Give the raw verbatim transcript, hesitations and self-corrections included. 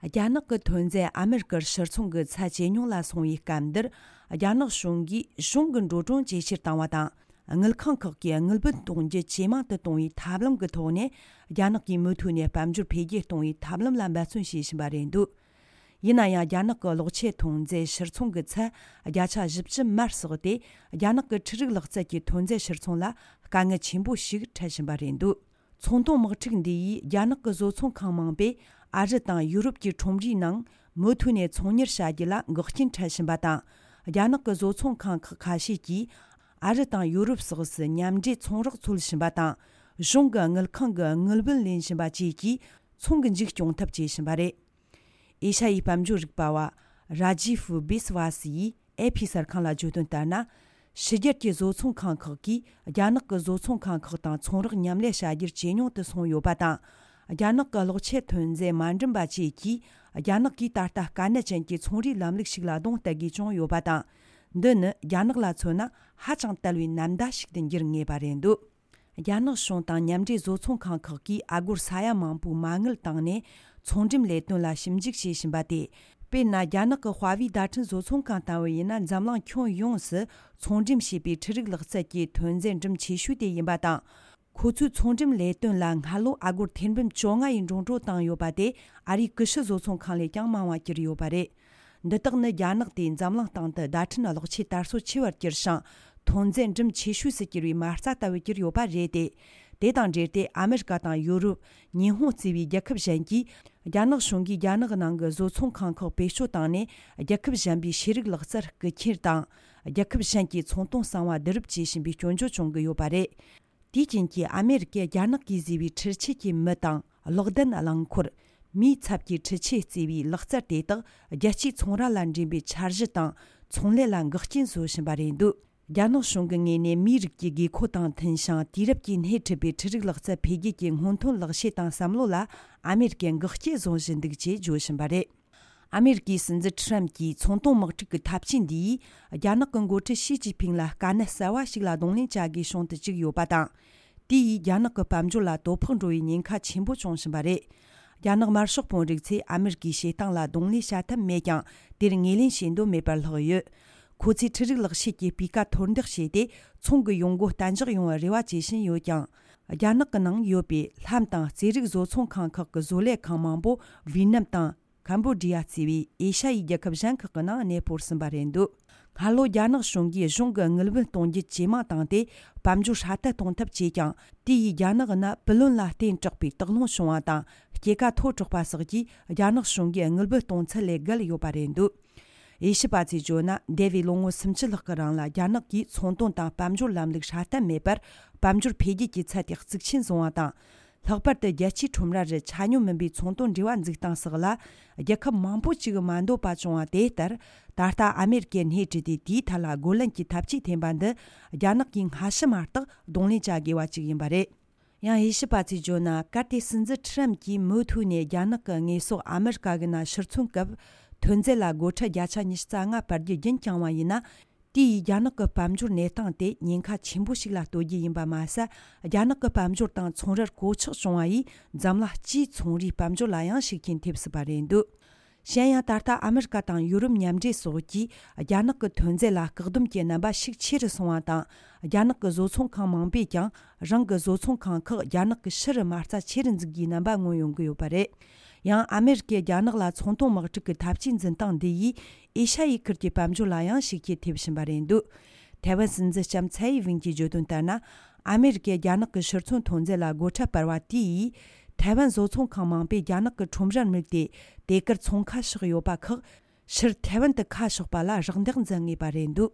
རྒྱ་ནག་གི་ཐོན་རྫས་ཨ་མེ་རི་ཀར་ཕྱིར་ཚོང་གི་ཚད་ཇེ་ཉུང་ལ་སོང་བའི་སྐབས་འདིར། རྒྱ་ནག་གཞུང་གིས་གཞུང་གི་འགྲོ་གྲོན་ཇེ་ཆེར་བཏང་བ་དང་། དངུལ་ཁང་ཁག་གིས་དངུལ་བུན་གཏོང་རྒྱུ་ཇེ་མང་དུ་གཏོང་བའི་ཐབས་ལམ་གྱི་ཐོག་ནས། རྒྱ་ནག་གིས་མུ་མཐུད་ནས་དཔལ་འབྱོར་འཕེལ་རྒྱས་གཏོང་བའི་ཐབས་ལམ་ལ་འབད་བརྩོན་བྱེད་བཞིན་པ་རེད་འདུག་ཡིན་ན་ཡང་། རྒྱ་ནག་གི་གློག་ཆས་ཐོན་རྫས་ཕྱིར་ཚོང་གི་ཚད་བརྒྱ་ཆ་བཞི་བཅུ་མར་སོགས་ཏེ། རྒྱ་ནག་གི་འཕྲུལ་རིག་ལག་རྩལ་གྱི་ཐོན་རྫས་ཕྱིར་ཚོང་ལ་དཀའ་ངལ་ཆེན་པོ་ཞིག་འཕྲད་བཞིན་པ་རེད་འདུག་ཚོང་དོན་དམག་འཁྲུག་འདི་ཡིས་རྒྱ་ནག་གི་བཟོ་ཚོང་ཁང་མང་པོས་ཨ་རི་དང་ཡུ་རོབ་ཀྱི་ཁྲོམ་རའི་ནང་མུ་མཐུད་ནས་ཚོང་གཉེར་བྱ་རྒྱུ་ལ་འགོག་རྐྱེན་འཕྲད་བཞིན་པ་དང་། རྒྱ་ནག་གི་བཟོ་ཚོང་ཁང་ཁག་ཁ་ཤས་ཀྱིས་ཨ་རི་དང་ཡུ་རོབ་སོགས་སུ་མཉམ་འབྲེལ་ཚོང་རོགས་འཚོལ་བཞིན་པ་དང་། གཞུང་གི་དངུལ་ཁང་གི་དངུལ་བུན་ལེན་བཞིན་པ་བཅས་ཀྱིས་ཚོང་གི་མཇུག་སྐྱོང་ཐབས་བྱེད་བཞིན་པ་རེད། ཨེ་ཤ་ཡའི་དཔལ་འབྱོར་རིག་པ་བ་ར་ཇི་ཧྥུ་བི་སི་ཝ་སི་ཡིས་ཨེ་ཕི་གསར་ཁང་ལ་བརྗོད་དོན་ལྟར་ན། ཕྱི་རྒྱལ་གྱི་བཟོ་ཚོང་ཁང་ཁག་གིས་རྒྱ་ནག་གི་བཟོ་ཚོང་ཁང་ཁག་དང་ཚོང་རོགས་མཉམ་ལས་བྱ་རྒྱུར་ཇེ་ཉུང་དུ་སོང་ཡོད་པ་དང་། རྒྱ་ནག་གི་གློག་ཆས་ཐོན་རྫས་མ་འགྲིམ་པ་བཅས་ཀྱིས། རྒྱ་ནག་གིས་ད་ལྟ་དཀའ་གནད་ཅན་གྱི་ཚོང་རའི་ལམ་ལུགས་ཤིག་ལ་གདོང་གཏད་དགོས་བྱུང་ཡོད་པ་དང་། འདི་ནི་རྒྱ་ནག་ལ་མཚོན་ན་ཧ་ཅང་དལ་བའི་ནམ་ཟླ་ཞིག་ཏུ་འགྱུར་ངེས་པ་རེད་འདུག་རྒྱ་ནག་གཞུང་དང་མཉམ་འབྲེལ་བཟོ་ཚོང་ཁང་ཁག་གིས་ཨ་སྒོར་ས་ཡ་མང་པོའི་མ་དངུལ་བཏང་ནས་ཚོང་འགྲེམས་ལས་དོན་ལ་ཞིབ་འཇུག་བྱེད་བཞིན་པ་སྟེ། དཔེར་ན། རྒྱ་ནག་གི་ཧྭ་ཝེ་བརྡ་འཕྲིན་བཟོ་ཚོང་ཁང་ལྟ་བུ་ཡིན་ན། འཛམ་གླིང་ཁྱོན་ཡོངས་སུ་ཚོང་འགྲེམས་བྱེད་པའི་འཕྲུལ་རིག་ལག་རྩལ་གྱི་ཐོན་རྫས་འགྲེམས་ཆེ་ཤོས་དེ་ཡིན་པ་དང་། ཁོ་ཚོའི་ཚོང་འགྲེམས་ལས་དོན་ལ་སྔ་ལོ་ཨ་སྒོར་ཐེར་འབུམ་བཅོ་ལྔ་ཡི་འགྲོ་གྲོན་བཏང་ཡོད་པ་དེ་ཨ་རིའི་ཀུ་ཤུ་བཟོ་ཚོང་ཁང་ལས་ཀྱང་མང་བ་གྱུར་ཡོད་པ་རེད། འདི་དག་ནི་རྒྱ་ནག་དེ་འཛམ་གླིང་སྟེང་དུ་བརྡ་འཕྲིན་གློག་ཆས་དར་སྲོལ་ཆེ་བར་གྱུར་ཞིང་། ཐོན་རྫས་འགྲེམས་ཆེ་ཤོས་སུ་གྱུར་བའི་མ་རྩ་ལྟ་བུ་གྱུར་ཡོད་པ་རེད་དེ། དེ་དང་འབྲེལ་ཏེ། ཨ་མེ་རི་ཀ་དང་ཡུ་རོབ། ཉི་ཧོང་བརྩིས་པའི་རྒྱལ་ཁབ་གཞན་གྱིས། རྒྱ་ནག་གཞུང་གིས་རྒྱ་ནག་ནང་གི་བཟོ་ཚོང་ཁང་ཁག་བེད་སྤྱོད་བཏང་ནས། རྒྱལ་ཁབ་གཞན་པའི་ཤེས་རིག་ལག་རྩལ་རྐུ་འཁྱེར་དང་། རྒྱལ་ཁབ་གཞན་གྱི་ཚོང་དོན་གསང་བ་བསྡུ་རུབ་བྱེད་བཞིན་པའི་སྐྱོན་བརྗོད་བྱུང་གི་ཡོད་པ་རེད། དེའི་རྐྱེན་གྱིས། ཨ་མེ་རི་ཀས་རྒྱ་ནག་གིས་བཟོས་པའི་འཕྲུལ་ཆས་ཀྱི་མི་དང་གློག་ལྡན་རླངས་འཁོར། མིའི་ཚབ་ཀྱི་འཕྲུལ་ཆས་བརྩིས་པའི་ལག་རྩལ་དེ་དག་རྒྱལ་སྤྱིའི་ཚོང་ར་ལ་འདྲེན་པའི་འཆར་གཞི་དང་ཚོང་ལས་ལ་འགག་རྐྱེན་བཟོ་བཞིན་པ་རེད་འདུག་རྒྱ་ནག་གཞུང་གི་ངོས་ནས་མིའི་རིགས་ཀྱི་དགོས་མཁོ་དང་མཐུན་ཞིང་དུས་རབས་ཀྱིས་སྣེ་ཁྲིད་པའི་འཕྲུལ་རིག་ལག་རྩལ་འཕེལ་རྒྱས་ཀྱི་སྔོན་ཐོན་ལག་ཤེས་དང་བསམ་བློ་ལ་ཨ་མེ་རི་ཀས་འགག་རྐྱེན་བཟོ་བཞིན་འདུག་ཅེས་བརྗོད་བཞིན་པ་རེད། ཨ་མེ་རི་ཀའི་སྲིད་འཛིན་ཁྲི་རམ་གྱིས་ཚོང་དོན་དམག་འཁྲུག་གི་ཐབས་ཇུས་འདིས། རྒྱ་ནག་གི་འགོ་ཁྲིད་ཞི་ཅིན་ཕིང་ལ་དཀའ་གནད་གསར་བ་ཞིག་ལ་གདོང་ལེན་བྱ་དགོས་བྱུང་དུ་བཅུག་ཡོད་པ་དང་། དེ་ཡིས་རྒྱ་ནག་གི་དཔལ་འབྱོར་ལ་དོ་ཕོག་འགྲོ་བའི་ཉེན་ཁ་ཆེན་པོ་བྱུང་བཞིན་པ་རེད། རྒྱ་ནག་དམར་ཤོག་དཔོན་རིགས་ཚོས་ཨ་མེ་རི་ཀའི་བྱེད་སྟངས་ལ་གདོང་ལེན་བྱ་ཐབས་མེད་ཀྱང་། དེར་ངོས་ལེན་བྱེད་འདོད་མེད་པར་ལྷག་ཡོད། ཁོ་ཚོས་འཕྲུལ་རིག་ལག་ཤེས་ཀྱི་སྤུས་ཀ་མཐོར་འདེགས་བྱས་ཏེ། ཚོང་གི་ཡོང་སྒོ་གཏན་འཇགས་ཡོང་བར་རེ་བ་བྱེད་བཞིན་ཡོད་ཀྱང་། རྒྱ་ནག་གི་ནང་ཡོད་པའི་ལྷམ་དང་རྩེད་རིགས་བཟོ་ཚོང་ཁང་ཁག་གི་བཟོ་ལས་ཁང་མང་པོ་ཝི་ཡེད་ནམ་དང་། ཀམ་བོ་ཌི་ཡ་བརྩིས་པའི་ཨེ་ཤ་ཡའི་རྒྱལ་ཁབ་གཞན་ཁག་གི་ནང་གནས་སྤོར་ཟིན་པ་རེད་འདུག་སྔ་ལོ་རྒྱ་ནག་གཞུང་གིས་གཞུང་གི་དངུལ་བུན་གཏོང་རྒྱུ་ཇེ་མང་བཏང་སྟེ། དཔལ་འབྱོར་སྲ་བརྟན་གཏོང་ཐབས་བྱས་ཀྱང་། དེ་ཡིས་རྒྱ་ནག་ནང་བུ་ལོན་ལ་བརྟེན་དྲགས་པའི་སྟག་ལུང་བྱུང་བ་དང་། སྐྱེད་ཀ་མཐོ་དྲགས་པ་སོགས་ཀྱིས་རྒྱ་ནག་གཞུང་གིས་དངུལ་བུན་གཏོང་ཚད་ལས་བརྒལ་ཡོད་པ་རེད་འདུག་དབྱེ་ཞིབ་པ་ཚོས་བརྗོད་ན། འདས་པའི་ལོ་ངོ་སུམ་ཅུ་ལྷག་གི་རིང་ལ་རྒྱ་ནག་གིས་ཚོང་དོན་དང་དཔལ་འབྱོར་ལམ་ལུགས་སྲ་བརྟན་མེད་པར། དཔལ་འབྱོར་འཕེལ་རྒྱས་ཀྱི་ཚད་དེ་གཙིགས་ཆེན་བཟུང་བ་དང་། ལྷག་པར་དུ་རྒྱལ་སྤྱིའི་ཁྲོམ་ར་རུ་ཆ་སྙོམས་མིན་པའི་ཚོང་དོན་འབྲེལ་བ་འཛུགས་སྟངས་སོགས་ལ། རྒྱལ་ཁབ་མང་པོ་ཅིག་མ་འདོད་པ་བྱུང་བ་དེ་ལྟར། ད་ལྟ་ཨ་མེ་རི་ཀས་སྣེ་ཁྲིད་དེ་དེའི་ཐད་ལ་རྒོལ་ལན་གྱི་ཐབས་ཇུས་འཐེན་པ་འདི། རྒྱ་ནག་གིས་སྔ་ཕྱི་མ་གཏོགས་གདོང་ལེན་བྱ་དགོས་པ་ཅིག་ཡིན་པ་རེད། ཡང་དབྱེ་ཞིབ་པ་ཚོས་བརྗོད་ན། གལ་ཏེ་སྲིད་འཛིན་ཁྲི་རམ་གྱིས་མུ་མཐུད་ནས་རྒྱ་ནག་གི་དངོས་ཟོག་ཨ་མི་རི་ཀ་གི་ནང་ཕྱིར་ཚོང་སྐབས། ཐོན་རྫས་ལ་སྒོ་ཁྲལ་བརྒྱ་ཆ་ཉི་ཤུ་རྩ་ལྔ་སྤར་རྒྱུ་རྒྱུན་བསྐྱངས་པ་ཡིན་ན། དེ་ཡིས་རྒྱ་ནག་གི་དཔལ་འབྱོར་གནས་སྟངས་དེ་ཉེན་ཁ་ཆེན་པོ་ཞིག་ལ་གཏོད་རྒྱུ་ཡིན་པ་མ་ཟད། རྒྱ་ནག་གི་དཔལ་འབྱོར་དང་ཚོང་རར་གོད་ཆག་བྱུང་བ་ཡིས། འཛམ་གླིང་སྤྱིའི་ཚོང་རའི་དཔལ་འབྱོར་ལ་ཡང་ཤུགས་རྐྱེན་ཐེབས་སྲིད་པ་རེད་འདུག་གཞན་ཡང་། ད་ལྟ་ཨ་མི་རི་ཀ་དང་ཡུ་རོབ་མཉམ་འབྲེལ་སོགས་ཀྱིས་རྒྱ་ནག་གི་ཐོན་རྫས་ལ་བཀག་སྡོམ་གྱི་རྣམ་པ་ཤུགས་ཆེ་རུ་སོང་བ་དང་། རྒྱ་ནག་གི་བཟོ་ཚོང་ཁང་མང་པོས་ཀྱང་རང་གི་བཟོ་ཚོང་ཁང་ཁག་རྒྱ་ནག་གི་ཕྱི་རུ་མ་རྩ་ཆེ་རུ་འཛུགས་རྒྱུའི་རྣམ་པ་མངོན་ཡོང་གི་ཡོད་པ་རེད། ཡང་ཨ་མི་རི་ཀས་རྒྱ་ནག་ལ་ཚོང་དོན་དམག་འཁྲུག་གི་ཐབས་ཇུས་འཛིན་སྟངས་འདི་ཡིས་ཨེ་ཤ་ཡའི་ཁུལ་གྱི་དཔལ་འབྱོར་ལ་ཡང་ཤུགས་རྐྱེན་ཐེབས་བཞིན་པ་རེད་འདུག་ཐའེ་ཝན་སྲིད་འཛིན་ལྕམ་ཚའེ་ཝེན་གྱིས་བརྗོད་དོན་ལྟར་ན། ཨ་མི་རི་ཀས་རྒྱ་ནག་གི་ཕྱིར་ཚོང་ཐོན་རྫས་ལ་སྒོ་ཁྲལ་སྤར་བ་དེ་ཡིས། ཐའེ་ཝན་བཟོ་ཚོང་ཁང་མང་པོས་རྒྱ་ནག་གི་ཁྲོམ་རར་དམིགས་ཏེ། དེ་གར་ཚོང་ཁ་ཕྱོགས་ཡོད་པ་ཁག་ཕྱིར་ཐའེ་ཝན་དུ་ཁ་ཕྱོགས་པ་ལ་རག་འདེགས་འཛིན་ངེས་པ་རེད་འདུག